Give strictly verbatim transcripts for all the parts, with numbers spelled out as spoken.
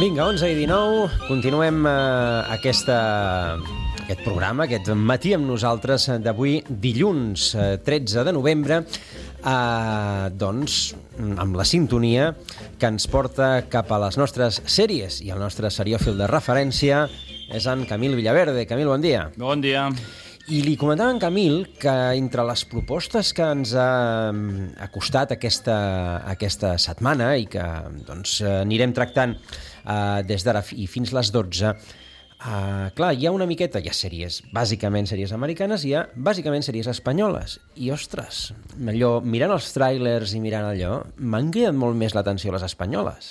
Vinga, onze i dinou, continuem eh, aquesta, aquest programa, aquest matí amb nosaltres d'avui, dilluns eh, tretze de novembre, eh, doncs amb la sintonia que ens porta cap a les nostres sèries i el nostre seriòfil de referència és en Camil Villaverde. Camil, bon dia. Bon dia. I li comentava en Camil que entre les propostes que ens ha acostat aquesta, aquesta setmana i que doncs, anirem tractant uh, des d'ara i fins les dotze, uh, clar, hi ha una miqueta, hi ha sèries, bàsicament sèries americanes, hi ha bàsicament sèries espanyoles. I, ostres, allò, mirant els tràilers i mirant allò, m'han cridat molt més l'atenció les espanyoles.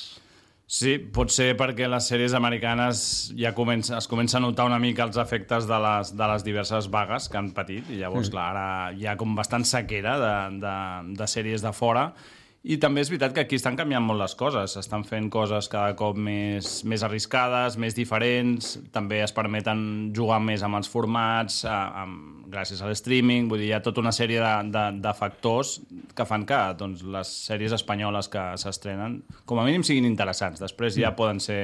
Sí, pot ser perquè les sèries americanes ja comença, es comença a notar una mica els efectes de les, de les diverses vagues que han patit, i llavors, mm. clar, ara hi ha com bastant sequera de, de, de sèries de fora. I també és veritat que aquí estan canviant molt les coses, estan fent coses cada cop més, més arriscades, més diferents, també es permeten jugar més amb els formats, a, amb, gràcies a l'streaming, vull dir, hi ha tota una sèrie de, de, de factors que fan que doncs, les sèries espanyoles que s'estrenen com a mínim siguin interessants, després ja poden ser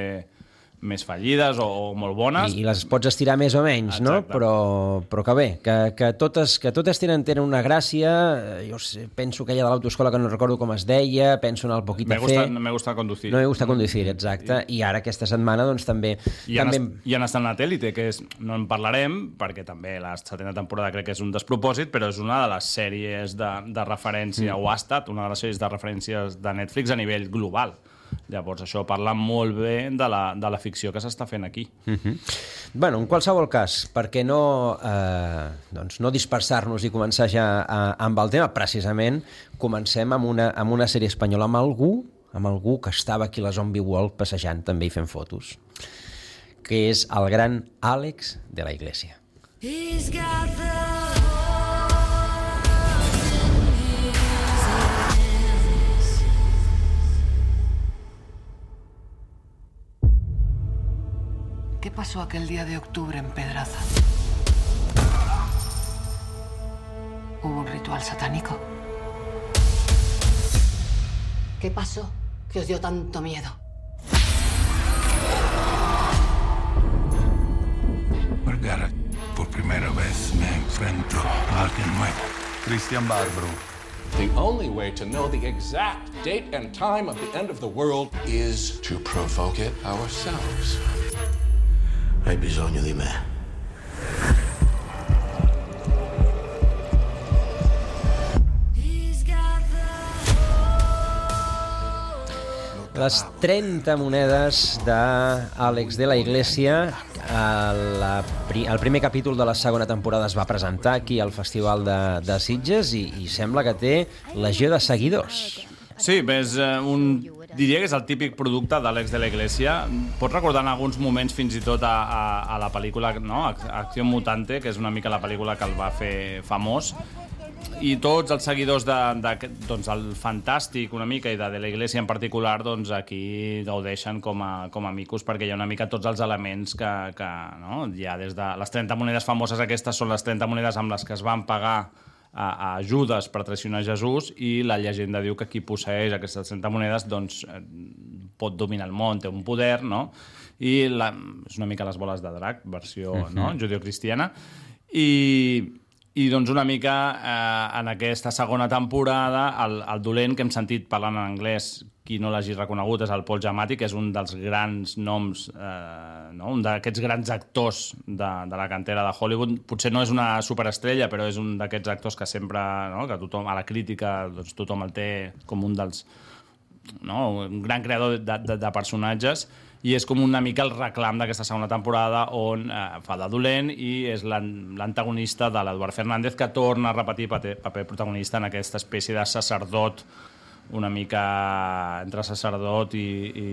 més fallides o, o molt bones. I, I les pots estirar més o menys, no? Però, però que bé, que, que, totes, que totes tenen, tenen una gràcia. Jo sé, penso aquella de l'autoescola que no recordo com es deia, penso en el Poquito me gusta, Fe. Me gusta conducir. No me gusta conducir, exacte. I, I ara aquesta setmana doncs també... I també... han, est, i han estat en l'Atèlite, que és, no en parlarem, perquè també la setena temporada crec que és un despropòsit, però és una de les sèries de, de referència, mm. o ha estat una de les sèries de referències de Netflix a nivell global. Llavors, això parla molt bé de la, de la ficció que s'està fent aquí. Uh-huh. Bueno, en qualsevol cas, perquè no, eh, doncs no dispersar-nos i començar ja a, amb el tema, precisament, comencem amb una, amb una sèrie espanyola, amb algú, amb algú que estava aquí a la Zombie World passejant també i fent fotos, que és el gran Àlex de la Iglesia. He's got the... ¿Qué pasó aquel día de octubre en Pedraza? ¿Hubo un ritual satánico? ¿Qué pasó que os dio tanto miedo? Vergara, por primera vez me enfrento a alguien nuevo. Cristian Barbaro. The only way to know the exact date and time of the end of the world is to provoke it ourselves. Hai bisogno di me. Les trenta monedes d'Àlex de la Iglesia, la, el primer capítol de la segona temporada es va presentar aquí al Festival de, de Sitges i, i sembla que té legió de seguidors. Sí, és un... diria que és el típic producte d'Àlex de la Iglesia. Pots recordar en alguns moments fins i tot a, a, a la pel·lícula, no? Acció Mutante, que és una mica la pel·lícula que el va fer famós, i tots els seguidors de, de, doncs, el Fantàstic una mica i de, de la Iglesia en particular, doncs aquí gaudeixen com a, com a micos, perquè hi ha una mica tots els elements que, que no? Ja des de les trenta monedes famoses, aquestes són les trenta monedes amb les que es van pagar a, a Judes per traicionar Jesús, i la llegenda diu que qui posseix aquestes trenta monedes doncs, pot dominar el món, té un poder, no? I la, és una mica les boles de drac, versió uh-huh. no? judeocristiana, i, i doncs una mica eh, en aquesta segona temporada el, el dolent que hem sentit parlant en anglès, qui no l'hagi reconegut, és el Paul Giamatti, que és un dels grans noms, eh, no? un d'aquests grans actors de, de la cantera de Hollywood. Potser no és una superestrella, però és un d'aquests actors que sempre, no? que tothom, a la crítica, doncs, tothom el té com un dels... No? un gran creador de, de, de personatges, i és com una mica el reclam d'aquesta segona temporada on eh, fa de dolent i és l'antagonista de l'Eduard Fernández, que torna a repetir paper, paper protagonista en aquesta espècie de sacerdot, una mica entre sacerdot i, i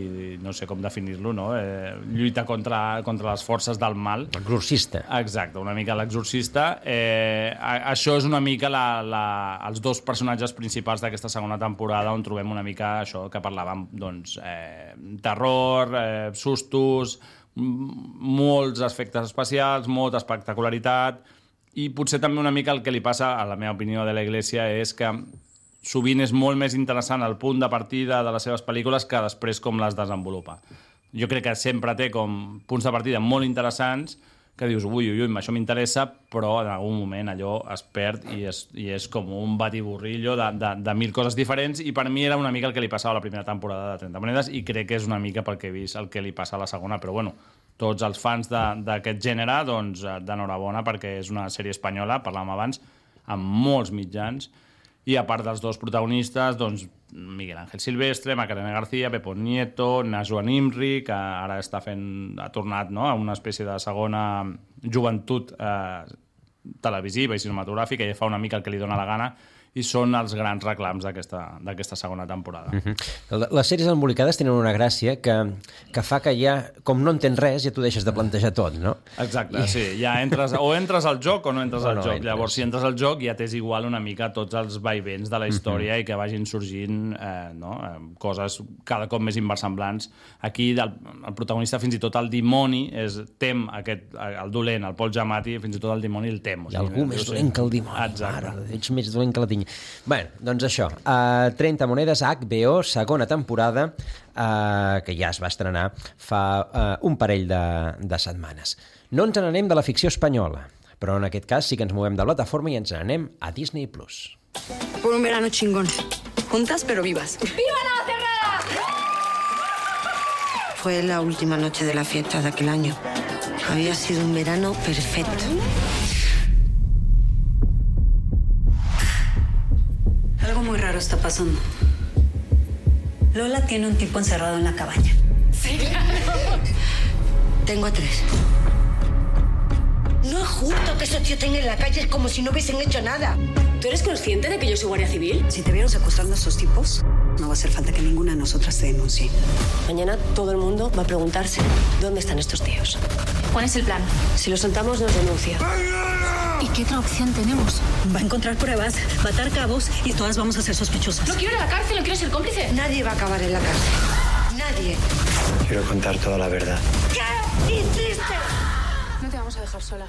no sé com definir-lo, no? Eh, lluita contra, contra les forces del mal. L'exorcista. Exacte, una mica l'exorcista. Eh, això és una mica la, la, els dos personatges principals d'aquesta segona temporada, on trobem una mica això que parlàvem, doncs, eh, terror, eh, sustos, molts efectes especials, molta espectacularitat, i potser també una mica el que li passa, a la meva opinió, de la Iglesia és que sovint és molt més interessant el punt de partida de les seves pel·lícules que després com les desenvolupa. jo crec que sempre té com punts de partida molt interessants que dius, ui, ui, ui, això m'interessa, però en algun moment allò es perd i és, i és com un batiburrillo de, de, de mil coses diferents, i per mi era una mica el que li passava a la primera temporada de trenta monedes, i crec que és una mica pel que he vist el que li passa a la segona, però bueno, tots els fans d'aquest gènere, doncs, d'enhorabona, perquè és una sèrie espanyola, parlàvem abans, amb molts mitjans, i a part dels dos protagonistes, doncs, Miguel Ángel Silvestre, Macarena García, Pepo Nieto, Najwa Nimri, que ara està fent, ha tornat, no?, a una espècie de segona joventut eh, televisiva i cinematogràfica, i fa una mica el que li dóna la gana, i són els grans reclams d'aquesta segona temporada. Uh-huh. Les sèries embolicades tenen una gràcia que, que fa que ja, com no entens res, ja t'ho deixes de plantejar tot, no? Exacte, I... sí. Ja entres, o entres al joc o no entres o al no joc. Entres. Llavors, si entres al joc, ja t'és igual una mica tots els vaivents de la història uh-huh. i que vagin sorgint eh, no? eh, coses cada cop més inversemblants. Aquí, el, el protagonista, fins i tot el dimoni, és, tem aquest, el dolent, el Pol Giamatti, fins i tot el dimoni el tem. O sigui, Hi ha algú més dolent que el dimoni. Exacte. Mare, ets més dolent que la tinc. Bé, doncs això, uh, trenta monedes, H B O, segona temporada, uh, que ja es va estrenar fa uh, un parell de, de setmanes. No ens n'anem de la ficció espanyola, però en aquest cas sí que ens movem de plataforma i ens n'anem a Disney Plus. Por un verano chingón. Juntas pero vivas. ¡Viva la cerrada! Fue la última noche de la fiesta de aquel año. Había sido un verano perfecto. Algo muy raro está pasando. Lola tiene un tipo encerrado en la cabaña. Sí, claro. Tengo a tres. No es justo que esos tíos estén en la calle como si no hubiesen hecho nada. ¿Tú eres consciente de que yo soy guardia civil? Si te vieron secuestrando a esos tipos, no va a hacer falta que ninguna de nosotras te denuncie. Mañana todo el mundo va a preguntarse dónde están estos tíos. ¿Cuál es el plan? Si los soltamos, nos denuncia. ¿Y qué otra opción tenemos? Va a encontrar pruebas, va a atar cabos y todas vamos a ser sospechosas. No quiero ir a la cárcel, no quiero ser cómplice. Nadie va a acabar en la cárcel. Nadie. Quiero contar toda la verdad. ¿Qué hiciste? No te vamos a dejar sola.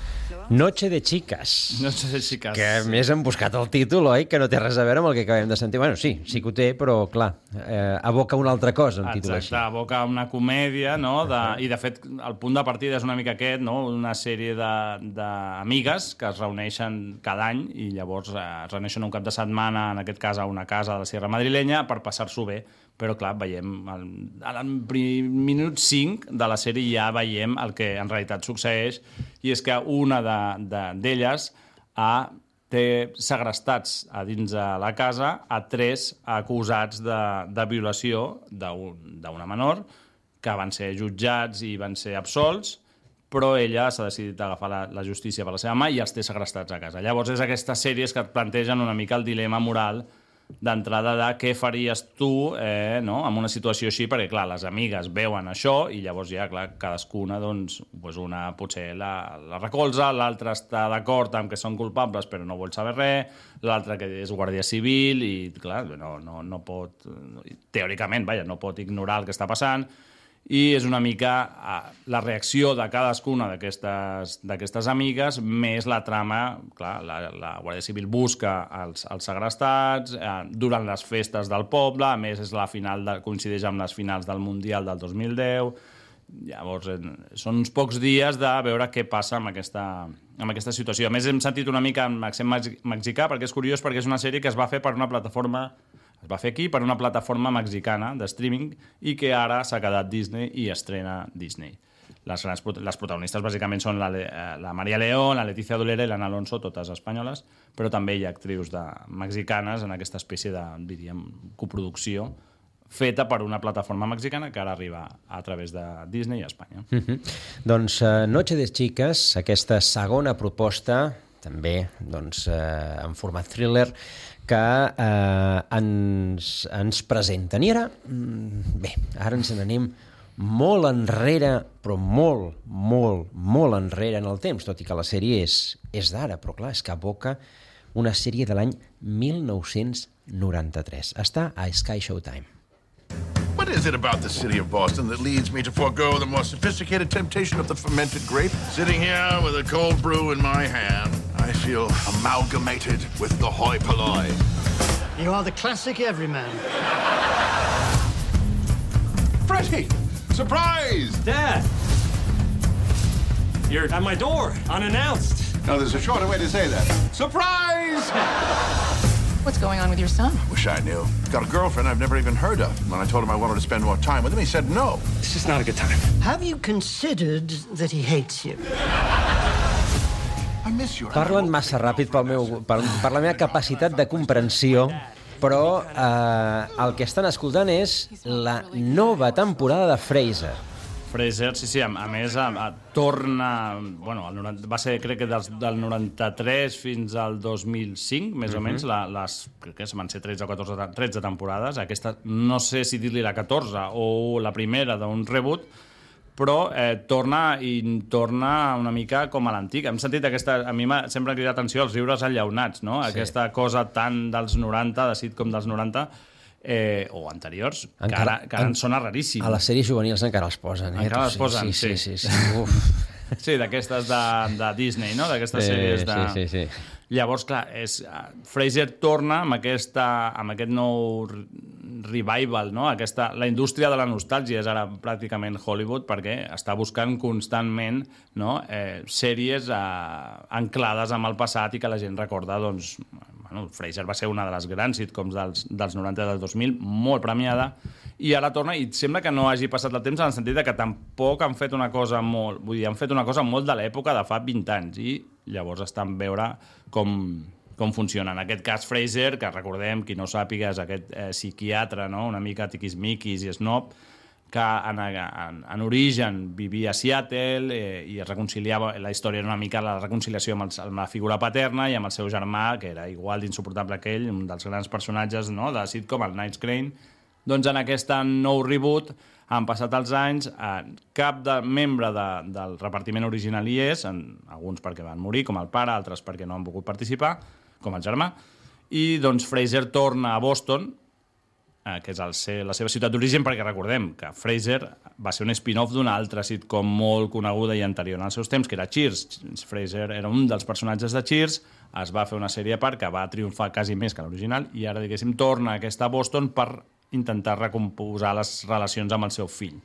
Noche de chicas. Noche de chicas. Que a més han buscat el títol, oi? Que no té res a veure amb el que acabem de sentir. Bueno, sí, sí que ho té, però clar, eh, aboca una altra cosa, un títol així. Exacte, aboca una comèdia, no? De, I de fet, el punt de partida és una mica aquest, no? Una sèrie d'amigues que es reuneixen cada any i llavors eh, es reuneixen un cap de setmana, en aquest cas a una casa de la Sierra Madrilenya, per passar-s'ho bé. Però, clar, veiem, al, al minut cinc de la sèrie ja veiem el que en realitat succeeix, i és que una d'elles ha, té segrestats a dins de la casa a tres acusats de, de violació d'una menor, que van ser jutjats i van ser absolts, però ella s'ha decidit agafar la, la justícia per la seva mà i els té segrestats a casa. Llavors és aquestes sèries que et plantegen una mica el dilema moral d'entrada de què faries tu eh, no? en una situació així, perquè clar, les amigues veuen això i llavors ja, clar, cadascuna doncs, doncs una potser la, la recolza, l'altra està d'acord amb que són culpables però no vol saber res, l'altra que és guàrdia civil i clar, no, no, no pot, teòricament, vaja, no pot ignorar el que està passant, i és una mica la reacció de cadascuna d'aquestes amigues més la trama, clar, la, la Guàrdia Civil busca els, els segrestats eh, durant les festes del poble, a més és la final de, coincideix amb les finals del Mundial del dos mil deu, llavors eh, són uns pocs dies de veure què passa amb aquesta, amb aquesta situació. A més hem sentit una mica amb accent mexicà perquè és curiós, perquè és una sèrie que es va fer per una plataforma Es va fer aquí per una plataforma mexicana de streaming i que ara s'ha quedat Disney i estrena Disney. Les, grans, les protagonistes bàsicament són la, la Maria León, la Leticia Dolera i l'Anna Alonso, totes espanyoles, però també hi ha actrius de, mexicanes en aquesta espècie de, diríem, coproducció feta per una plataforma mexicana que ara arriba a través de Disney a Espanya. Mm-hmm. Doncs uh, Noche de Chicas, aquesta segona proposta, també doncs, uh, en format thriller, que eh, ens, ens presenten. I ara, bé, ara ens n'anem molt enrere, però molt, molt, molt enrere en el temps, tot i que la sèrie és, és d'ara, però clar, és que aboca una sèrie de l'any mil nou-cents noranta-tres. Està a Sky Showtime. What is it about the city of Boston that leads me to forego the more sophisticated temptation of the fermented grape? Sitting here with a cold brew in my hand, I feel amalgamated with the hoi polloi. You are the classic everyman. Freddie! Surprise! Dad! You're at my door, unannounced. No, there's a shorter way to say that. Surprise! What's going on with your son? Wish I knew. He's got a girlfriend I've never even heard of. When I told him I wanted to spend more time with him, he said no. It's just not a good time. Have you considered that he hates you? I miss you. Parlen massa ràpid pel meu, per, per la meva capacitat de comprensió, però eh, el que estan escoltant és la nova temporada de Frasier. Frasier, sí, sí, a, a més a, a, torna, bueno, el noranta, va ser crec que dels, del noranta-tres fins al dos mil cinc, més mm-hmm. o menys, la, les, crec que van ser tretze o catorze, tretze temporades, aquesta no sé si dir-li la catorze o la primera d'un reboot, però eh, torna i torna una mica com a l'antic. Hem sentit aquesta, a mi m'ha sempre cridat atenció els riures enllaunats, no? Sí. Aquesta cosa tan dels noranta, de sitcom dels noranta, Eh, o anteriors, encara, que ara, que ara en, en sona raríssim. A les sèries juvenils encara els posen. Eh? Encara els posen, sí. Sí, sí, sí. sí. Uf. Sí, d'aquestes de, de Disney, no? D'aquestes sí, sèries de... Sí, sí, sí. Llavors, clar, és, uh, Frasier torna amb, aquesta, amb aquest nou revival, no? Aquesta, la indústria de la nostàlgia és ara pràcticament Hollywood perquè està buscant constantment, no? eh, sèries uh, anclades amb el passat i que la gent recorda, doncs... Bueno, Frasier va ser una de les grans sitcoms dels, dels noranta i del dos mil, molt premiada, i ara torna, i sembla que no hagi passat el temps en el sentit que tampoc han fet una cosa molt... Vull dir, han fet una cosa molt de l'època de fa vint anys, i llavors estan veure com, com funciona. En aquest cas, Frasier, que recordem, qui no sàpiga, és aquest eh, psiquiatre, no? Una mica tiquismiquis i snob, que en, en, en origen vivia a Seattle eh, i es reconciliava, la història era una mica la reconciliació amb, el, amb la figura paterna i amb el seu germà, que era igual d'insuportable que ell, un dels grans personatges, no?, de sitcom, el Night Crane. Doncs en aquest nou reboot han passat els anys, eh, cap de membre de, del repartiment original hi és, en, alguns perquè van morir, com el pare, altres perquè no han pogut participar, com el germà, i doncs Frasier torna a Boston, que és el, la seva ciutat d'origen, perquè recordem que Frasier va ser un spin-off d'una altra sitcom molt coneguda i anterior en els seus temps, que era Cheers. Frasier era un dels personatges de Cheers, es va fer una sèrie a part que va triomfar quasi més que l'original, i ara, diguéssim, torna a aquesta Boston per intentar recomposar les relacions amb el seu fill,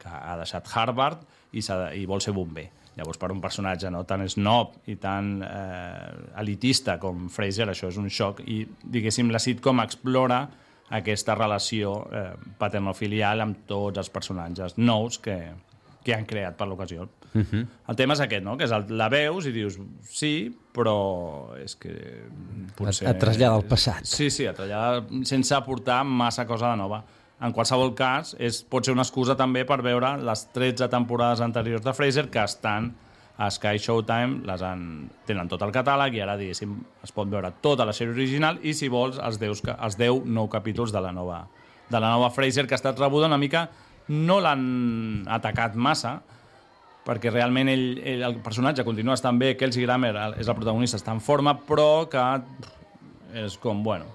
que ha deixat Harvard i, de, i vol ser bomber. Llavors, per un personatge no tan snob i tan eh, elitista com Frasier, això és un xoc, i, diguéssim, la sitcom explora aquesta relació eh, paternofilial amb tots els personatges nous que, que han creat per l'ocasió. Uh-huh. El tema és aquest, no? Que és el, la veus i dius, sí, però és que... Potser... Et trasllada al passat. Sí, sí, et trasllada sense aportar massa cosa de nova. En qualsevol cas, és, pot ser una excusa també per veure les tretze temporades anteriors de Frasier que estan a Sky Showtime, les han, tenen tot el catàleg i ara, diguéssim, es pot veure tota la sèrie original i, si vols, els deu, els deu nou capítols de la nova, de la nova Frasier, que ha estat rebuda una mica, no l'han atacat massa, perquè realment ell, ell, el personatge continua estant bé, Kelsey Grammer és el protagonista, està en forma, però que és com, bueno,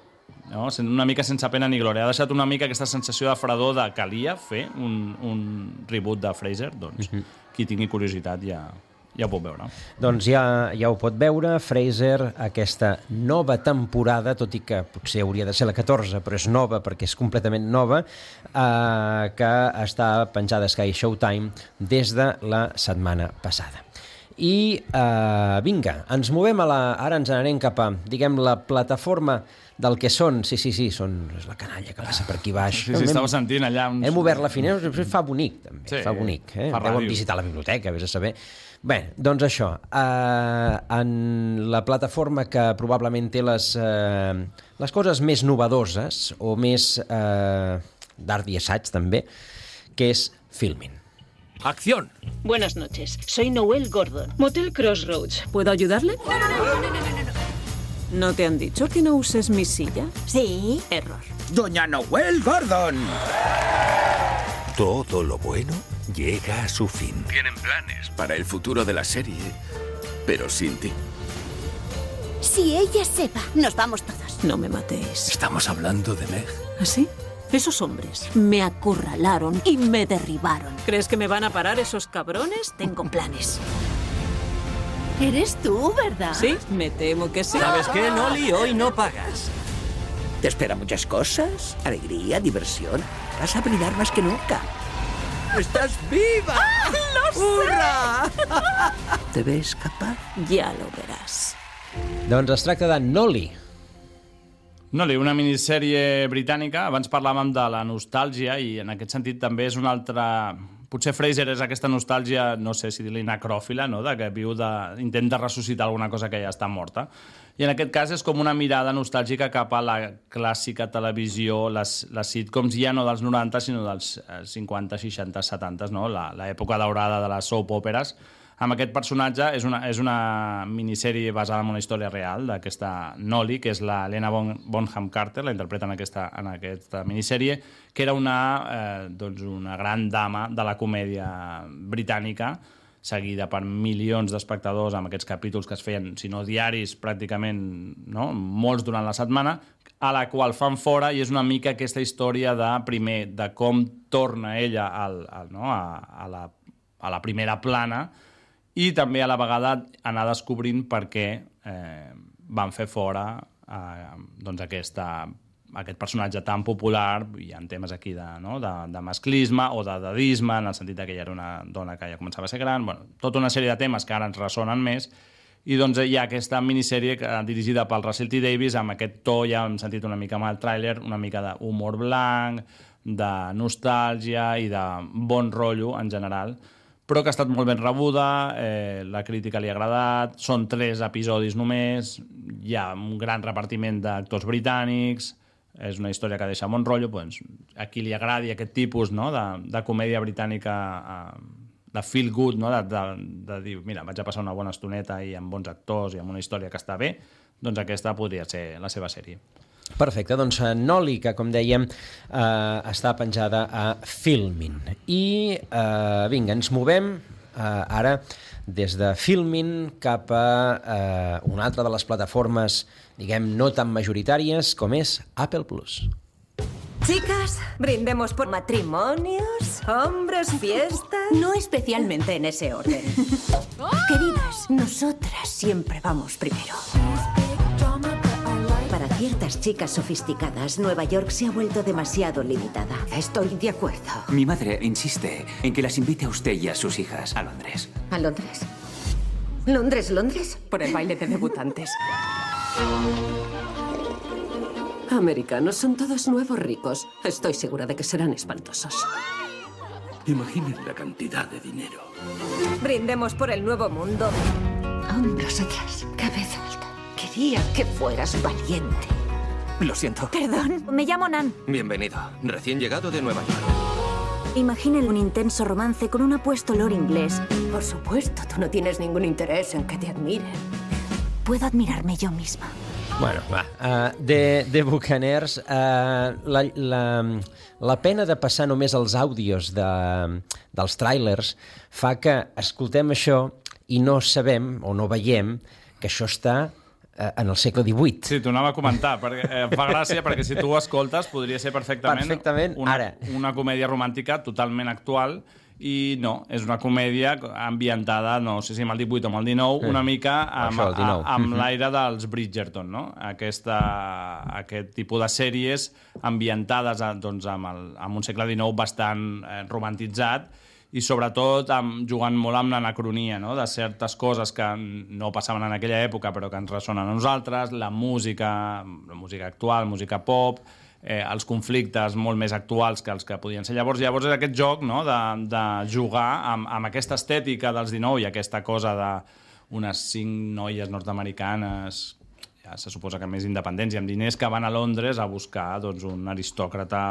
no? Una mica sense pena ni glòria. Ha deixat una mica aquesta sensació de fredor de calia fer un, un reboot de Frasier, doncs uh-huh. Qui tingui curiositat ja... Ja ho pot veure. Doncs ja, ja ho pot veure, Frasier, aquesta nova temporada, tot i que potser hauria de ser la catorze, però és nova perquè és completament nova, eh, que està penjada a Sky Showtime des de la setmana passada. I eh, vinga, ens movem a la... Ara ens anarem cap a, diguem, la plataforma del que són, sí, sí, sí, són és la canalla que passa per aquí baix. Sí, sí, estava sentint allà uns... Hem obert la finestra, fa bonic, també, sí, fa bonic. Eh? Fa Deuen visitar la biblioteca, vés a saber. Bé, doncs això, eh, en la plataforma que probablement té les, eh, les coses més novedoses o més eh, d'art i assaig també, que és Filmin. ¡Acción! Buenas noches, soy Noel Gordon, Motel Crossroads. ¿Puedo ayudarle? No, no, no, no, no, no, no. ¿No te han dicho que no uses mi silla? Sí. Error. ¡Doña Noel Gordon! Todo lo bueno llega a su fin. Tienen planes para el futuro de la serie, pero sin ti. Si ella se va, nos vamos todos. No me matéis. Estamos hablando de Meg. ¿Así? Esos hombres me acurralaron y me derribaron. ¿Crees que me van a parar esos cabrones? Tengo planes. Eres tú, ¿verdad? Sí, me temo que sí. ¿Sabes qué, Nolly? Hoy no pagas. Te esperan muchas cosas, alegría, diversión. Vas a brillar más que nunca. ¡Estás viva! ¡Ah, lo sé! ¡Hurra! ¿Te ves capaz? Ja lo veràs. Doncs es tracta de Nolly. Nolly, una minissèrie britànica. Abans parlàvem de la nostàlgia i en aquest sentit també és una altra... Potser Fraser és aquesta nostàlgia, no sé si dir-li necròfila, no? De que viu de... intenta ressuscitar alguna cosa que ja està morta. I en aquest cas és com una mirada nostàlgica cap a la clàssica televisió, les, les sitcoms ja no dels noranta, sinó dels cinquanta, seixanta, setanta, no? L'època daurada de les soap operes. Amb aquest personatge és una, és una minissèrie basada en una història real d'aquesta Nolly, que és la Helena Bonham Carter, la interpreta en aquesta, en aquesta minissèrie, que era una, eh, doncs una gran dama de la comèdia britànica, seguida per milions d'espectadors amb aquests capítols que es feien, si no diaris, pràcticament, no? Molts durant la setmana, a la qual fan fora, i és una mica aquesta història de, primer, de com torna ella al, al, no? a, a, la, a la primera plana, i també a la vegada anar descobrint per què eh, van fer fora eh, doncs aquesta, aquest personatge tan popular. Hi ha temes aquí de, no? de, de masclisme o de dadisme, en el sentit que ella era una dona que ja començava a ser gran. Bueno, tota una sèrie de temes que ara ens ressonen més. I doncs hi ha aquesta minissèrie dirigida pel Russell T. Davies amb aquest to, ja hem sentit una mica amb el tràiler, una mica d'humor blanc, de nostàlgia i de bon rotllo en general, però que ha estat molt ben rebuda, eh, la crítica li ha agradat, són tres episodis només, hi ha un gran repartiment d'actors britànics, és una història que deixa bon rotllo, doncs, a qui li agradi aquest tipus, no? de, de comèdia britànica, eh, de feel good, no? de, de, de dir, mira, vaig a passar una bona estoneta i amb bons actors i amb una història que està bé, doncs aquesta podria ser la seva sèrie. Perfecte, doncs Nolly, que com dèiem eh, està penjada a Filmin. I eh, vinga, ens movem eh, ara des de Filmin cap a eh, una altra de les plataformes, diguem, no tan majoritàries com és Apple Plus. Chicas, brindemos por matrimonios, hombres, fiestas... No especialmente en ese orden. Queridas, nosotras siempre vamos primero. Para ciertas chicas sofisticadas, Nueva York se ha vuelto demasiado limitada. Estoy de acuerdo. Mi madre insiste en que las invite a usted y a sus hijas a Londres. ¿A Londres? ¿Londres, Londres? Por el baile de debutantes. Americanos son todos nuevos ricos. Estoy segura de que serán espantosos. Imaginen la cantidad de dinero. Brindemos por el nuevo mundo. Hombros atrás, cabeza alta. Quería que fueras valiente. Lo siento. Perdón, me llamo Nan. Bienvenido. Recién llegado de Nueva York. Imaginen un intenso romance con un apuesto olor inglés. Por supuesto, tú no tienes ningún interés en que te admiren. Puedo admirarme yo misma. Bueno, va, uh, de, de Buccaneers, uh, la, la, la pena de passar només els àudios de, dels tràilers fa que escoltem això i no sabem o no veiem que això està en el segle divuit. Sí, t'ho anava a comentar, perquè eh, fa gràcia, perquè si tu ho escoltes podria ser perfectament, perfectament una, ara. una comèdia romàntica totalment actual, i no, és una comèdia ambientada, no sé si amb el divuit o amb el dinou, una mica amb, Això, a, amb l'aire dels Bridgerton, no? Aquesta, aquest tipus de sèries ambientades doncs, amb, el, amb un segle dinou bastant eh, romantitzat, i sobretot amb, jugant molt amb l'anacronia, no? De certes coses que no passaven en aquella època però que ens ressonen a nosaltres, la música, la música actual, música pop, eh, els conflictes molt més actuals que els que podien ser llavors. Llavors és aquest joc, no? de, de jugar amb, amb aquesta estètica dels dinou i aquesta cosa d'unes cinc noies nord-americanes, ja se suposa que més independents i amb diners, que van a Londres a buscar doncs, un aristòcrata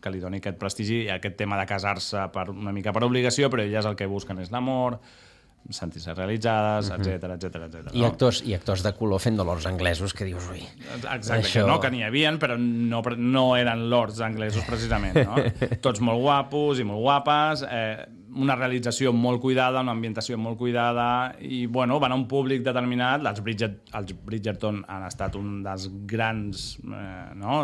que li doni aquest prestigi i aquest tema de casar-se per, una mica per obligació, però elles el que busquen és l'amor, sentir-se realitzades, etcètera, etcètera, etcètera. I actors, i actors de color fent de lords anglesos que dius, ui... Exacte, això... que no, que n'hi havia, però no, no eren lords anglesos precisament, no? Tots molt guapos i molt guapes, eh, una realització molt cuidada, una ambientació molt cuidada, i bueno, van a un públic determinat. Els, Bridget, els Bridgerton han estat un dels grans eh, no?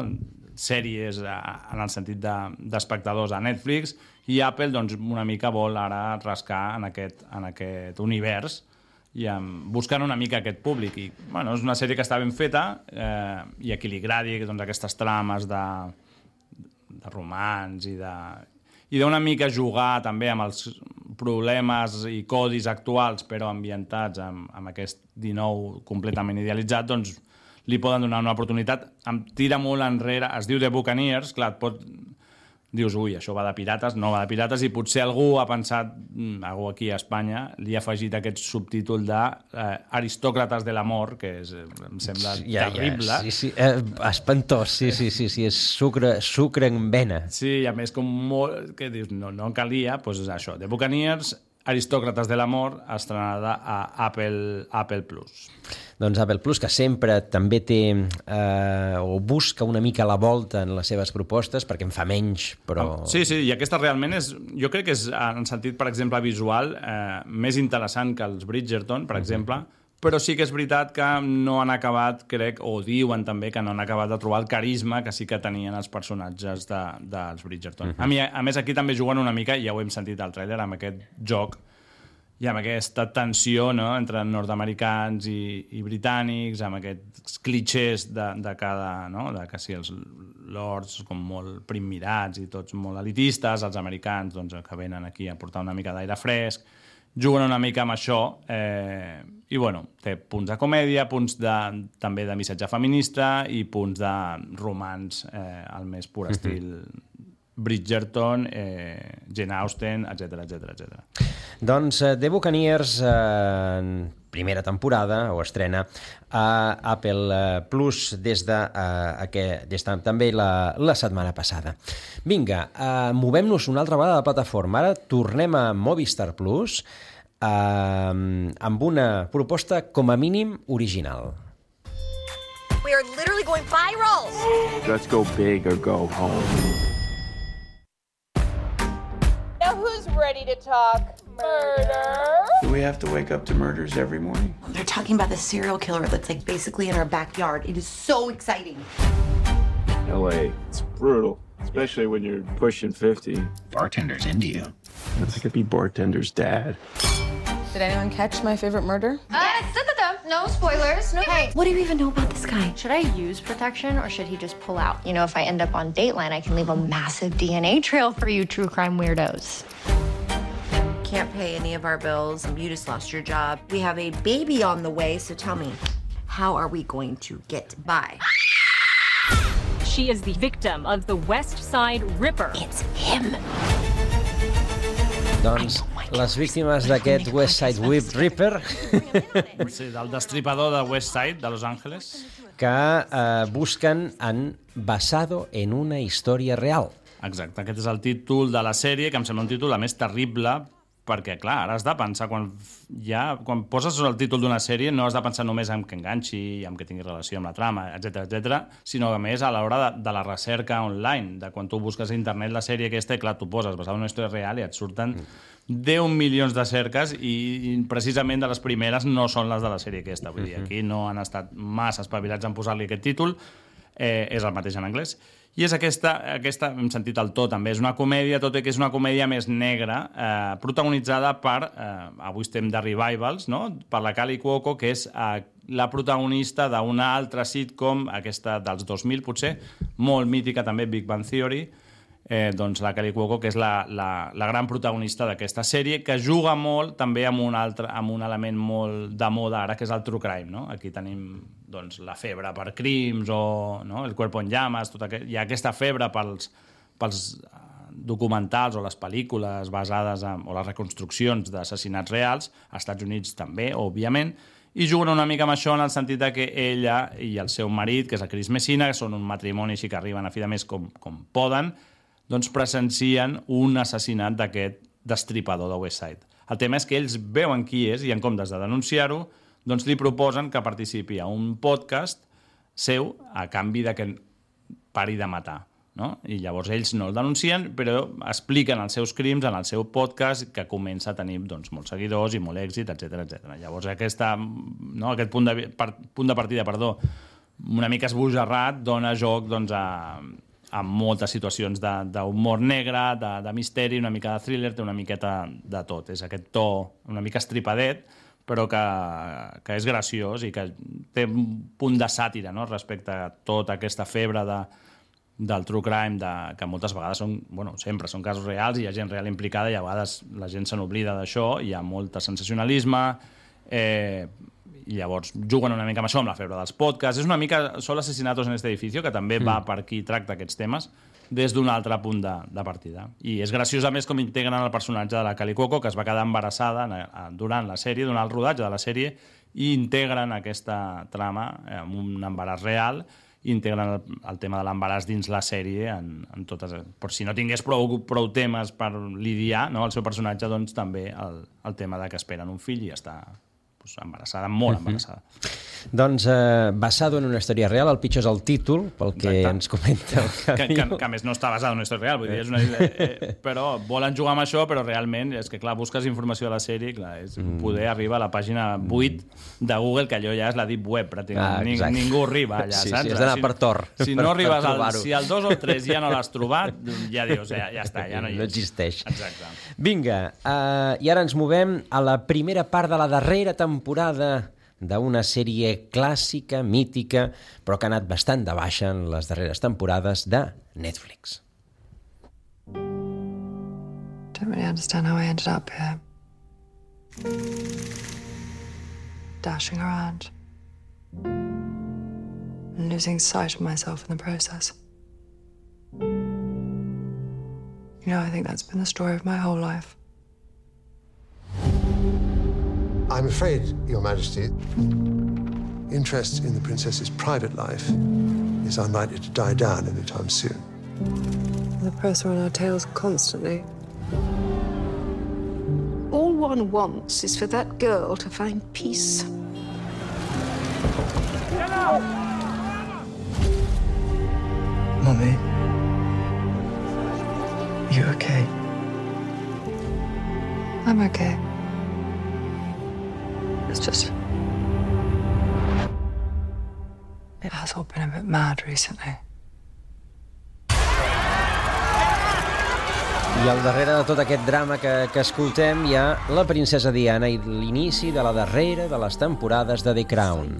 sèries eh, en el sentit d'espectadors de, a Netflix, i Apple doncs, una mica vol ara rascar en aquest, en aquest univers i um, buscant una mica aquest públic. I, bueno, és una sèrie que està ben feta eh, i a qui li agradi doncs, aquestes trames de, de romans i de... i d'una mica jugar també amb els problemes i codis actuals, però ambientats amb, amb aquest dinou completament idealitzat, doncs li poden donar una oportunitat. Em tira molt enrere, es diu The Buccaneers, clar, et pot... dius, ui, això va de pirates, no va de pirates, i potser algú ha pensat, algú aquí a Espanya, li ha afegit aquest subtítol de eh, Aristòcrates de l'amor, que és, em sembla ja, terrible. Ja, sí, sí. Eh, espantós, sí, sí, sí, sí, és sucre, sucre en vena. Sí, i a més, com molt... que dius, no, no calia, doncs és això, The Buccaneers, Aristòcrates de l'amor, estrenada a Apple, Apple Plus. Doncs Apple Plus, que sempre també té eh, o busca una mica la volta en les seves propostes, perquè en fa menys, però... Sí, sí, i aquesta realment és, jo crec que és, en sentit, per exemple, visual, eh, més interessant que els Bridgerton, per uh-huh. exemple, però sí que és veritat que no han acabat, crec, o diuen també que no han acabat de trobar el carisma que sí que tenien els personatges de, dels Bridgerton. Uh-huh. A, mi, a més, aquí també juguen una mica, ja ho hem sentit al tràiler, amb aquest joc i amb aquesta tensió, no?, entre nord-americans i, i britànics, amb aquests clichés de, de cada... No? De que si els lords com molt primmirats i tots molt elitistes, els americans doncs, que venen aquí a portar una mica d'aire fresc, juguen una mica amb això, eh, i bueno, té punts de comèdia, punts de, també de missatge feminista i punts de romans eh, al més pur estil Bridgerton, eh, Jane Austen, etcètera, etcètera, etcètera. Doncs eh, The Buccaneers, eh, primera temporada, o estrena a Apple Plus des de, eh, des de també la, la setmana passada. Vinga, eh, movem-nos una altra vegada de plataforma. Ara tornem a Movistar Plus eh, amb una proposta com a mínim original. We are literally going viral! Let's go big or go home. Now who's ready to talk murder? Do we have to wake up to murders every morning? They're talking about the serial killer that's like basically in our backyard. It is so exciting. L A, it's brutal, especially when you're pushing fifty. Bartender's into you. I could be bartender's dad. Did anyone catch my favorite murder? Uh, no spoilers. No. Hey, what do you even know about this guy? Should I use protection or should he just pull out? You know, if I end up on Dateline, I can leave a massive D N A trail for you true crime weirdos. Can't pay any of our bills. You just lost your job. We have a baby on the way, so tell me, how are we going to get by? She is the victim of the West Side Ripper. It's him. Doncs les víctimes d'aquest West Side Whip Ripper... Sí, del destripador de West Side, de Los Angeles. Que eh, busquen en Basado en una història real. Exacte, aquest és el títol de la sèrie, que em sembla un títol a més terrible, perquè, clar, ara has de pensar, quan, ja, quan poses el títol d'una sèrie, no has de pensar només en que enganxi, en que tingui relació amb la trama, etcètera, etcètera, sinó que, a més, a l'hora de, de la recerca online, de quan tu busques a internet la sèrie aquesta, i, clar, tu poses basada en una història real i et surten deu milions de cerques i, i precisament de les primeres no són les de la sèrie aquesta. Vull dir, aquí no han estat massa espavilats en posar-li aquest títol, eh, és el mateix en anglès. I és aquesta, aquesta, hem sentit el to també, és una comèdia, tot i que és una comèdia més negra, eh, protagonitzada per, eh, avui estem de revivals, no?, per la Kaley Cuoco, que és eh, la protagonista d'una altra sitcom, aquesta dels dos mil potser, molt mítica també, Big Bang Theory, eh, doncs la Kaley Cuoco, que és la, la, la gran protagonista d'aquesta sèrie, que juga molt també amb un, altre, amb un element molt de moda ara, que és el true crime, no? Aquí tenim doncs, la febre per crims o no? El cuerpo en llamas, tot aquest... hi ha aquesta febre pels, pels documentals o les pel·lícules basades en, o les reconstruccions d'assassinats reals, als Estats Units també, òbviament, i juguen una mica amb això en el sentit que ella i el seu marit, que és el Chris Messina, que són un matrimoni així que arriben a fi de mes com, com poden, doncs presencien un assassinat d'aquest destripador de West Side. El tema és que ells veuen qui és i en comptes de denunciar-ho, doncs li proposen que participi a un podcast seu a canvi de que pari de matar, no? I llavors ells no el denuncien, però expliquen els seus crims en el seu podcast, que comença a tenir doncs, molts seguidors i molt èxit, etcètera, etcètera. Llavors aquesta, no, aquest punt de, per, punt de partida, perdó, una mica esbojarrat, dona joc doncs, a, a moltes situacions d'humor negre, de, de misteri, una mica de thriller, té una miqueta de tot. És aquest to una mica estripadet, però que, que és graciós i que té un punt de sàtira, no?, respecte a tota aquesta febre de, del true crime, de, que moltes vegades són, bueno, sempre són casos reals i hi ha gent real implicada i a vegades la gent se n'oblida d'això, hi ha molt de sensacionalisme, eh, i llavors juguen una mica amb això, amb la febre dels podcasts. És una mica Solo asesinatos en este edificio, que també mm. va per aquí, tracta aquests temes des d'un altre punt de, de partida. I és graciós, a més, com integren el personatge de la Kaley Cuoco, que es va quedar embarassada durant la sèrie, durant el rodatge de la sèrie, i integren aquesta trama amb un embaràs real, i integren el, el tema de l'embaràs dins la sèrie en, en totes, per si no tingués prou, prou temes per lidiar, no, el seu personatge, doncs també el, el tema de que esperen un fill i està pues, embarassada, molt embarassada. Mm-hmm. Doncs eh, basado en una història real, el pitjor és el títol, pel que Exacte. Ens comenta el que, que, que a més no està basat en una història real, vull dir, és una, eh, però volen jugar amb això, però realment és que, clar, busques informació de la sèrie, clar, és mm. poder arribar a la pàgina vuit de Google, que allò ja és la deep web, pràcticament. Ah, Ning, ningú arriba allà, sí, saps? Sí, has d'anar si, per Tor. Si no arribes al, si al dos o tres ja no l'has trobat, ja dius, ja, ja està, ja no hi és. No existeix. Exacte. Vinga, uh, i ara ens movem a la primera part de la darrera temporada d'una sèrie clàssica, mítica, però que ha anat bastant de baixa en les darreres temporades de Netflix. Don't really understand how I ended up here. Dashing around. And losing sight of myself in the process. You know, I think that's been the story of my whole life. I'm afraid, Your Majesty, interest in the princess's private life is unlikely to die down anytime soon. The press are on our tails constantly. All one wants is for that girl to find peace. Mummy, you okay? I'm okay. It's just... It has all been a bit mad recently. I al darrere de tot aquest drama que, que escoltem hi ha la princesa Diana i l'inici de la darrera de les temporades de The Crown.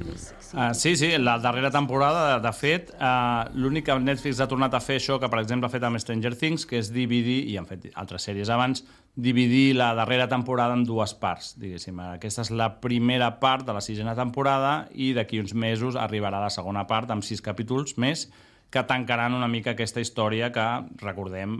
Uh, sí, sí, la darrera temporada, de, de fet, uh, l'únic que Netflix ha tornat a fer això, que per exemple ha fet amb Stranger Things, que és dividir, i han fet altres sèries abans, dividir la darrera temporada en dues parts, diguéssim. Aquesta és la primera part de la sisena temporada i d'aquí uns mesos arribarà la segona part amb sis capítols més, que tancaran una mica aquesta història que, recordem,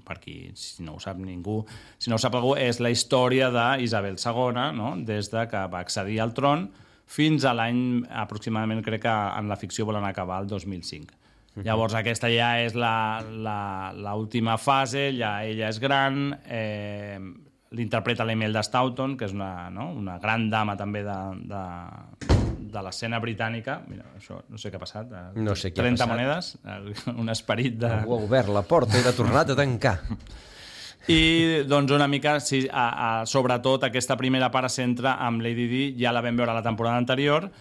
per qui, si no ho sap ningú, si no ho sap algú, és la història d'Isabel segona, no? Des de que va accedir al tron fins a l'any, aproximadament, crec que en la ficció volen acabar el dos mil cinc. Uh-huh. Llavors, aquesta ja és l'última fase, ja ella és gran, eh, l'interpreta l'Imelda Staunton, que és una, no? una gran dama també de... de de l'escena britànica. Mira, això no sé què ha passat. No sé què ha trenta passat. monedes, un esperit de... Algú ha obert la porta i l'ha tornat a tancar. I, doncs, una mica, sí, a, a, sobretot, aquesta primera part es centra amb Lady Di, ja la vam veure la temporada anterior,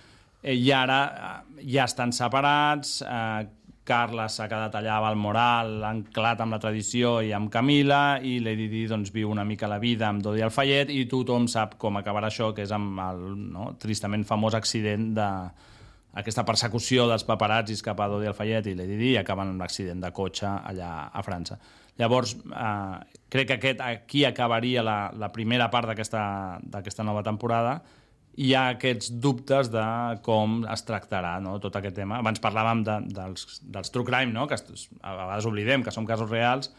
eh, i ara eh, ja estan separats, eh, Carles s'ha quedat allà a Balmoral, anclat amb la tradició i amb Camila, i Lady Di doncs, viu una mica la vida amb Dodi Al-Fayed, i tothom sap com acabarà això, que és amb el no, tristament famós accident d'aquesta persecució dels paparazzis cap a Dodi Al-Fayed i Lady Di, i acaben amb l'accident de cotxe allà a França. Llavors, eh, crec que aquest, aquí acabaria la, la primera part d'aquesta nova temporada. Hi ha aquests dubtes de com es tractarà, no, tot aquest tema. Abans parlàvem de, dels, dels true crime, no? Que a vegades oblidem que són casos reals.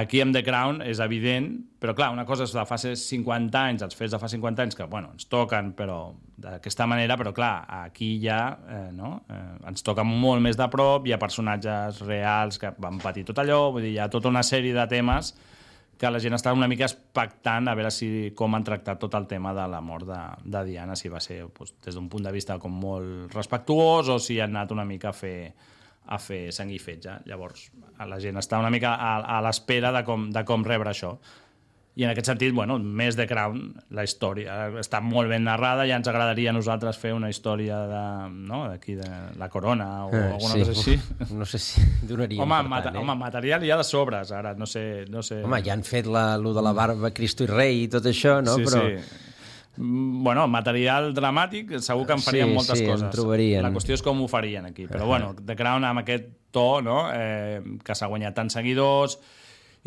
Aquí amb The Crown és evident, però clar, una cosa és de fa cinquanta anys, els fets de fa cinquanta anys, que bueno, ens toquen però d'aquesta manera, però clar, aquí ja eh, no? eh, ens toquen molt més de prop, hi ha personatges reals que van patir tot allò, vull dir, hi ha tota una sèrie de temes que la gent està una mica expectant a veure si, com han tractat tot el tema de la mort de, de Diana, si va ser doncs, des d'un punt de vista com molt respectuós o si han anat una mica a fer, a fer sang i fetge. Llavors, la gent està una mica a, a l'espera de com, de com rebre això. I en aquest sentit, bueno, més The Crown, la història està molt ben narrada, ja ens agradaria a nosaltres fer una història de, no, d'aquí de la corona o eh, alguna sí, cosa així. No sé si donaríem home, per mata, tant, eh? Home, material hi ha de sobres, ara, no sé... No sé... Home, ja han fet la, lo de la barba, Cristo i rei i tot això, no? Sí, Però... sí. Bueno, material dramàtic segur que en farien sí, moltes sí, coses. En trobarien. La qüestió és com ho farien aquí. Però bueno, The Crown amb aquest to, no? eh, que s'ha guanyat tants seguidors,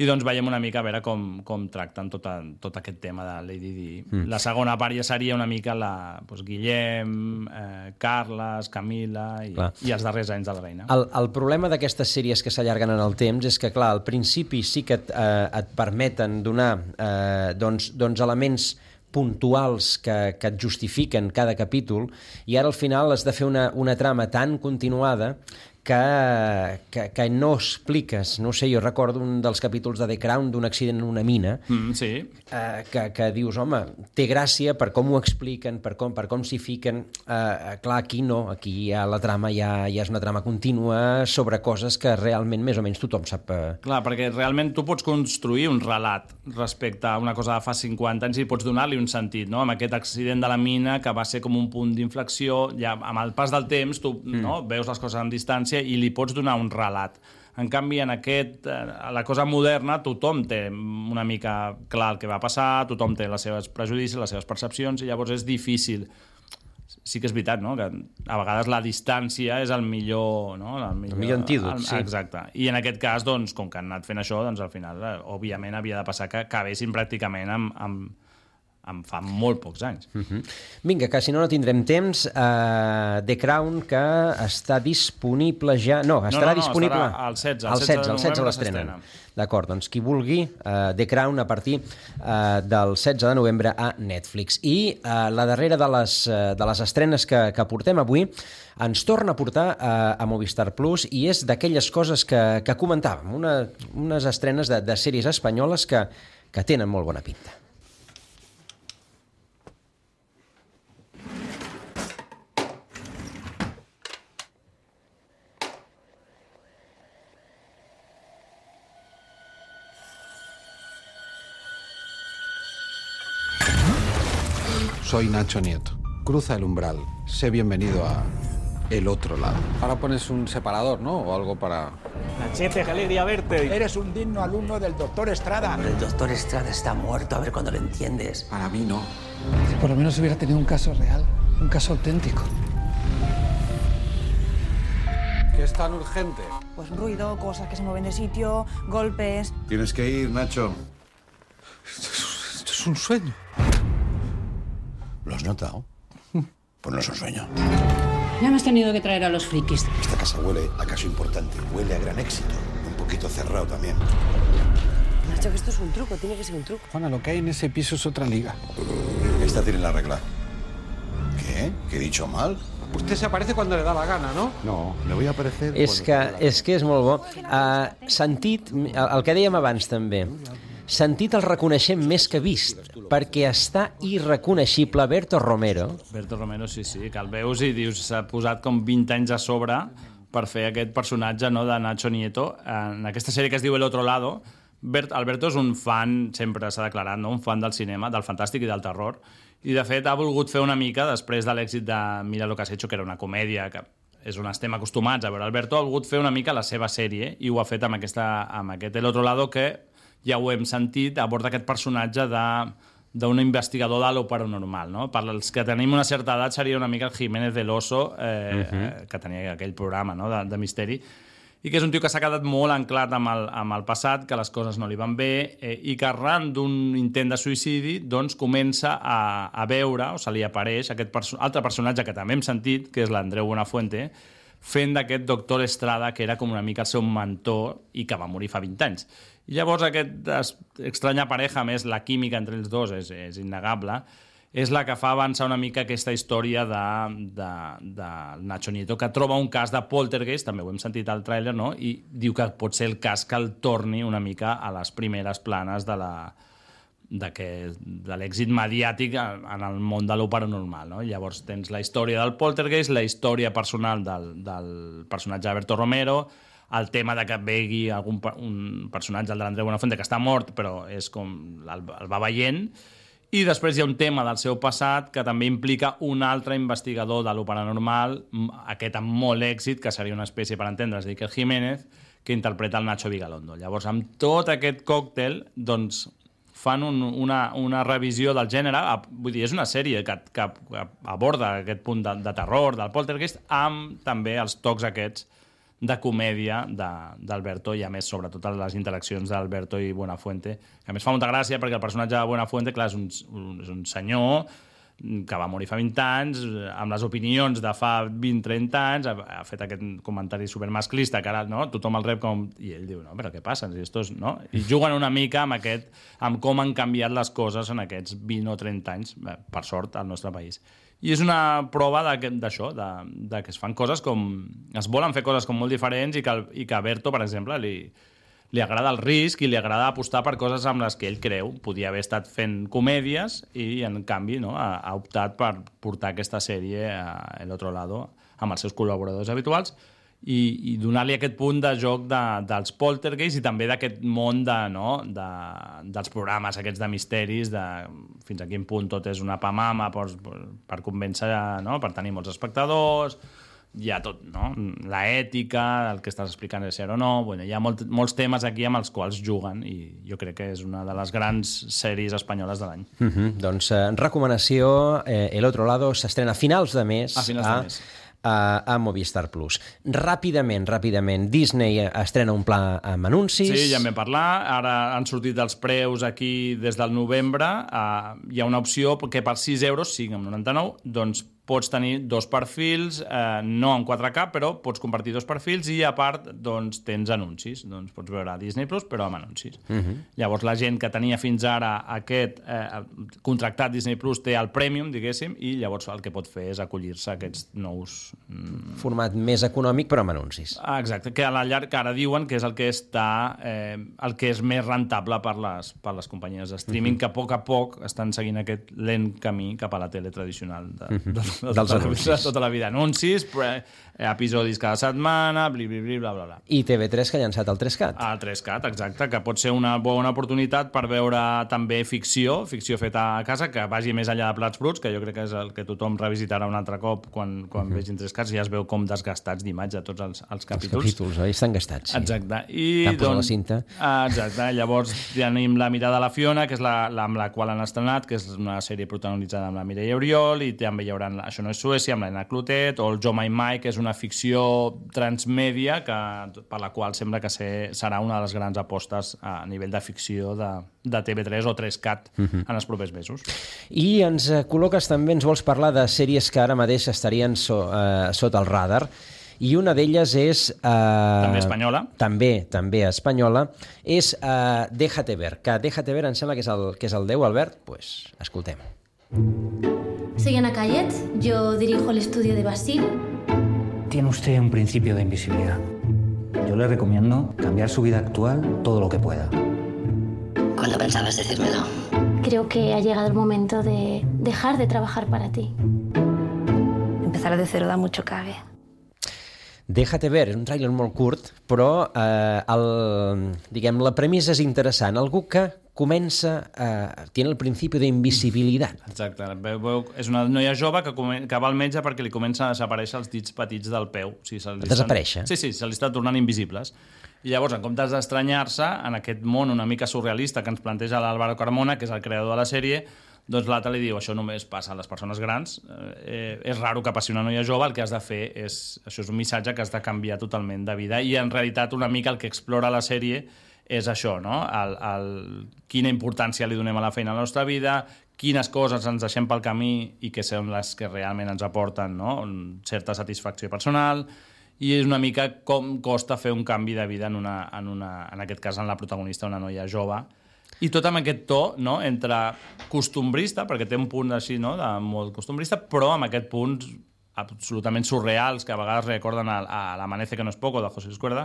i doncs veiem una mica a veure com, com tracten tot, a, tot aquest tema de Lady Di. Mm. La segona part ja seria una mica la, doncs, Guillem, eh, Carles, Camila i, i els darrers anys de la reina. El, el problema d'aquestes sèries que s'allarguen en el temps és que, clar, al principi sí que et, eh, et permeten donar eh, doncs, doncs elements puntuals que, que et justifiquen cada capítol, i ara al final has de fer una, una trama tan continuada que, que, que no expliques. No sé, jo recordo un dels capítols de The Crown d'un accident en una mina, mm, sí. eh, que, que dius, home, té gràcia per com ho expliquen, per com, per com s'hi fiquen. Eh, clar, aquí no, aquí ja la trama ja, ja és una trama contínua sobre coses que realment més o menys tothom sap. Eh... Clar, perquè realment tu pots construir un relat respecte a una cosa de fa cinquanta anys i pots donar-li un sentit, no? Amb aquest accident de la mina que va ser com un punt d'inflexió, ja amb el pas del temps tu mm. no, veus les coses en distància i li pots donar un relat. En canvi, en aquest, a la cosa moderna, tothom té una mica clar el que va passar, tothom té les seves prejudicis, les seves percepcions, i llavors és difícil. Sí que és veritat, no?, que a vegades la distància és el millor... No? El millor, el millor antídot, el, sí. Exacte. I en aquest cas, doncs, com que han anat fent això, doncs al final, òbviament, havia de passar que acabessin pràcticament amb... amb em fa molt pocs anys. Uh-huh. Vinga, que si no no tindrem temps. uh, The Crown, que està disponible ja... No, estarà no, no, no, disponible... Estarà al setze, al setze, al setze l'estrenen. D'acord, doncs qui vulgui, uh, The Crown a partir uh, del setze de novembre a Netflix. I uh, la darrera de les, uh, de les estrenes que, que portem avui ens torna a portar uh, a Movistar Plus, i és d'aquelles coses que, que comentàvem, una, unes estrenes de, de sèries espanyoles que, que tenen molt bona pinta. Soy Nacho Nieto. Cruza el umbral. Sé bienvenido a el otro lado. Ahora pones un separador, ¿no? O algo para... Nachete, qué alegría verte. Eres un digno alumno del doctor Estrada. El doctor Estrada está muerto, a ver cuándo lo entiendes. Para mí no. Si por lo menos hubiera tenido un caso real, un caso auténtico. ¿Qué es tan urgente? Pues ruido, cosas que se mueven de sitio, golpes... Tienes que ir, Nacho. Esto es, esto es un sueño. ¿Lo has notado? Pues no es un sueño. Ya me has tenido que traer a los frikis. Esta casa huele a caso importante, huele a gran éxito. Un poquito cerrado también. Nacho, que esto es un truco, tiene que ser un truco. Juana, lo que hay en ese piso es otra liga. Esta tiene la regla. ¿Qué? ¿Qué he dicho mal? Usted se aparece cuando le da la gana, no? No, me voy a aparecer... És que, és que és molt bo. Uh, sentit, el, el que dèiem abans també, sentit el reconeixem més que vist, perquè està irreconeixible Berto Romero. Berto Romero, sí, sí, que el veus i dius, s'ha posat com vint anys a sobre per fer aquest personatge, no, de Nacho Nieto. En aquesta sèrie que es diu El Otro Lado, Bert, Alberto és un fan, sempre s'ha declarat, no? Un fan del cinema, del fantàstic i del terror, i de fet ha volgut fer una mica, després de l'èxit de Mira lo que has hecho, que era una comèdia, que és on estem acostumats a veure, Alberto ha volgut fer una mica la seva sèrie, i ho ha fet amb, aquesta, amb aquest El Otro Lado, que ja ho hem sentit, aborda aquest personatge d'un investigador de lo paranormal, no? Per als que tenim una certa edat seria una mica el Jiménez del Oso, eh, uh-huh. que tenia aquell programa, no?, de, de misteri, i que és un tio que s'ha quedat molt anclat amb el, amb el passat, que les coses no li van bé, eh, i que arran d'un intent de suïcidi doncs comença a, a veure, o se li apareix, aquest perso- altre personatge que també hem sentit, que és l'Andreu Buenafuente, fent d'aquest doctor Estrada, que era com una mica el seu mentor i que va morir fa vint anys. I llavors aquesta estranya pareja, més la química entre els dos és, és innegable, és la que fa avançar una mica aquesta història de, de, de Nacho Nieto, que troba un cas de poltergeist, també ho hem sentit al tràiler, no? I diu que pot ser el cas que el torni una mica a les primeres planes de la de, que, de l'èxit mediàtic en el món de lo paranormal, no? Llavors tens la història del poltergeist, la història personal del, del personatge Alberto Romero, el tema de que vegi algun, un personatge, el de l'Andreu Buenafuente, que està mort, però és com el, el va veient, i després hi ha un tema del seu passat que també implica un altre investigador de lo paranormal, aquest amb molt èxit, que seria una espècie, per entendre's, d'Iker Jiménez, que interpreta el Nacho Vigalondo. Llavors, amb tot aquest còctel, doncs, fan un, una, una revisió del gènere, vull dir, és una sèrie que, que, que aborda aquest punt de, de terror, del poltergeist, amb també els tocs aquests de comèdia d'Alberto, i a més, sobretot les interaccions d'Alberto i Buenafuente, que a més fa molta gràcia perquè el personatge de Buenafuente, clar, és un, un, és un senyor que va morir fa vint anys, amb les opinions de fa vint trenta anys, ha, ha fet aquest comentari supermasclista, que ara no, tothom el rep com... I ell diu, no, però què passa? Si estos, no? I juguen una mica amb, aquest, amb com han canviat les coses en aquests vint o trenta anys, per sort, al nostre país. I és una prova d'això, de, de que es fan coses com... Es volen fer coses com molt diferents i que, i que a Berto, per exemple, li... li agrada el risc i li agrada apostar per coses amb les que ell creu. Podia haver estat fent comèdies i, en canvi, no, ha, ha optat per portar aquesta sèrie a El Otro Lado amb els seus col·laboradors habituals i, i donar-li aquest punt de joc de, dels poltergeists i també d'aquest món de, no, de, dels programes aquests de misteris, de fins a quin punt tot és una pamama per, per convèncer, no, per tenir molts espectadors... Hi ha tot, no? La ètica, el que estàs explicant és ser o no... Bueno, hi ha molt, molts temes aquí amb els quals juguen i jo crec que és una de les grans sèries espanyoles de l'any. Mm-hmm. Doncs eh, recomanació, eh, El Otro Lado s'estrena a finals de mes a, finals a, de mes. a, a Movistar Plus. Ràpidament, ràpidament, Disney estrena un pla amb anuncis... Sí, ja en vam parlar. Ara han sortit els preus aquí des del novembre. Uh, hi ha una opció que per sis euros, cinc coma noranta-nou, doncs pots tenir dos perfils, eh, no en quatre K, però pots compartir dos perfils i, a part, doncs, tens anuncis. Doncs pots veure Disney Plus, però amb anuncis. Uh-huh. Llavors, la gent que tenia fins ara aquest eh, contractat Disney Plus té el Premium, diguéssim, i llavors el que pot fer és acollir-se a aquests nous... Mm... Format més econòmic, però amb anuncis. Ah, exacte, que a la llarg que ara diuen que és el que està eh, el que és més rentable per les, per les companyies de streaming, uh-huh. que a poc a poc estan seguint aquest lent camí cap a la tele tradicional de, uh-huh. de, de, dels de anuncis. De tota la vida. Anuncis, episodis cada setmana, bli, bli, bli, bla, bla, bla. I T V tres que ha llançat el tres cat. El tres cat, exacte, que pot ser una bona oportunitat per veure també ficció, ficció feta a casa, que vagi més enllà de Plats Bruts, que jo crec que és el que tothom revisitarà un altre cop quan, quan uh-huh. vegin tres cats, i ja es veu com desgastats d'imatge tots els, els capítols. Els capítols, oi? Estan gastats, sí. Exacte. I, T'han posat doncs, la cinta. Exacte. Llavors tenim La mirada de la Fiona, que és la, la amb la qual han estrenat, que és una sèrie protagonitzada amb la Mireia Oriol, i també hi haurà Això no és Suècia, amb l'Anna Clotet, o el Jo Mai Mai, que és una ficció transmèdia que, per la qual sembla que ser, serà una de les grans apostes a nivell de ficció de, de T V tres o tres cat uh-huh. en els propers mesos. I ens col·loques també, ens vols parlar de sèries que ara mateix estarien so, eh, sota el radar, i una d'elles és... Eh, també espanyola. També, també espanyola. És eh, Déjate Ver, que Déjate Ver em sembla que és el, que és el deu, Albert? Doncs pues, escoltem. Soy Ana Cayet, yo dirijo el estudio de Basil. Tiene usted un principio de invisibilidad. Yo le recomiendo cambiar su vida actual todo lo que pueda. ¿Cuándo pensabas decírmelo? Creo que ha llegado el momento de dejar de trabajar para ti. Empezar de cero da mucho cabe. Déjate Ver, és un tràiler molt curt, però eh, el, diguem, la premissa és interessant. Algú que comença a... Tiene el principi d'invisibilitat. Exacte. Veu, és una noia jove que, come, que va al metge perquè li comencen a desaparèixer els dits petits del peu. O sigui, desaparèixer? Sí, sí, se li estan tornant invisibles. I llavors, en comptes d'estranyar-se, en aquest món una mica surrealista que ens planteja l'Álvaro Carmona, que és el creador de la sèrie, doncs l'altre li diu, això només passa a les persones grans, eh, és raro que passi una noia jove, el que has de fer és, això és un missatge que has de canviar totalment de vida, i en realitat una mica el que explora la sèrie és això, no? El, el, quina importància li donem a la feina a la nostra vida, quines coses ens deixem pel camí i que són les que realment ens aporten, no? Certa satisfacció personal, i és una mica com costa fer un canvi de vida en, una, en, una, en aquest cas en la protagonista, una noia jove. I tot amb aquest to, no?, entre costumbrista, perquè té un punt així, no?, de molt costumbrista, però amb aquest punt absolutament surreals que a vegades recorden a, a l'Amanece que no es poco, de José Escuerda,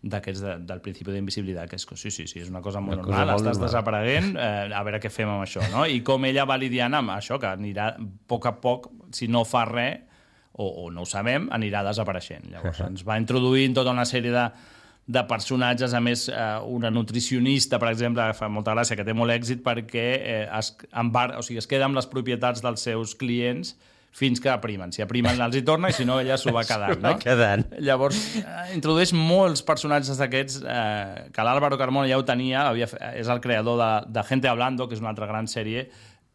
d'aquests de, del principi d'invisibilitat, que és sí, sí, sí, és una cosa molt una normal, cosa estàs normal. Desapareguent, eh, a veure què fem amb això, no? I com ella va lidiant amb això, que anirà a poc a poc, si no fa res, o, o no ho sabem, anirà desapareixent. Llavors ens va introduint tota una sèrie de de personatges, a més eh, una nutricionista, per exemple, que fa molta gràcia, que té molt èxit perquè eh, es, embar... o sigui, es queda amb les propietats dels seus clients fins que aprimen. Si aprimen els hi torna i si no ella s'ho va quedant. No? quedant. Llavors eh, introdueix molts personatges d'aquests eh, que l'Álvaro Carmona ja ho tenia, havia, és el creador de, de Gente Hablando, que és una altra gran sèrie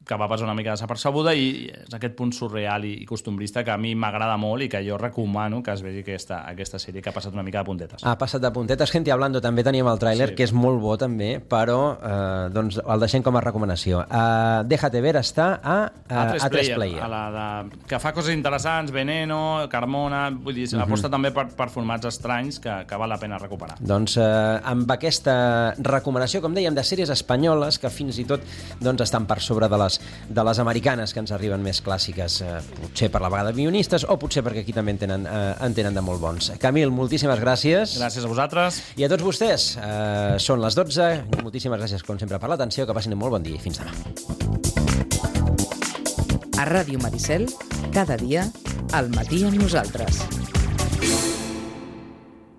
que va passar una mica desapercebuda, i és aquest punt surreal i costumbrista que a mi m'agrada molt i que jo recomano que es vegi aquesta, aquesta sèrie, que ha passat una mica de puntetes. Ha passat de puntetes. Gente hablando, també teníem el tràiler, sí, que és molt bo també, però eh, doncs el deixem com a recomanació. Uh, Déjate ver està a, a, a tres Player. A la de, que fa coses interessants, Veneno, Carmona, vull dir, uh-huh. aposta també per, per formats estranys que, que val la pena recuperar. Doncs eh, amb aquesta recomanació, com dèiem, de sèries espanyoles que fins i tot doncs, estan per sobre de les de les americanes que ens arriben més clàssiques, eh, potser per la vegada guionistes o potser perquè aquí també en tenen, eh, en tenen de molt bons. Camil, moltíssimes gràcies. Gràcies a vosaltres. I a tots vostès. Eh, són les dotze. Moltíssimes gràcies, com sempre, per l'atenció. Que passin un molt bon dia i fins demà. A Ràdio Maricel, cada dia, al matí amb nosaltres.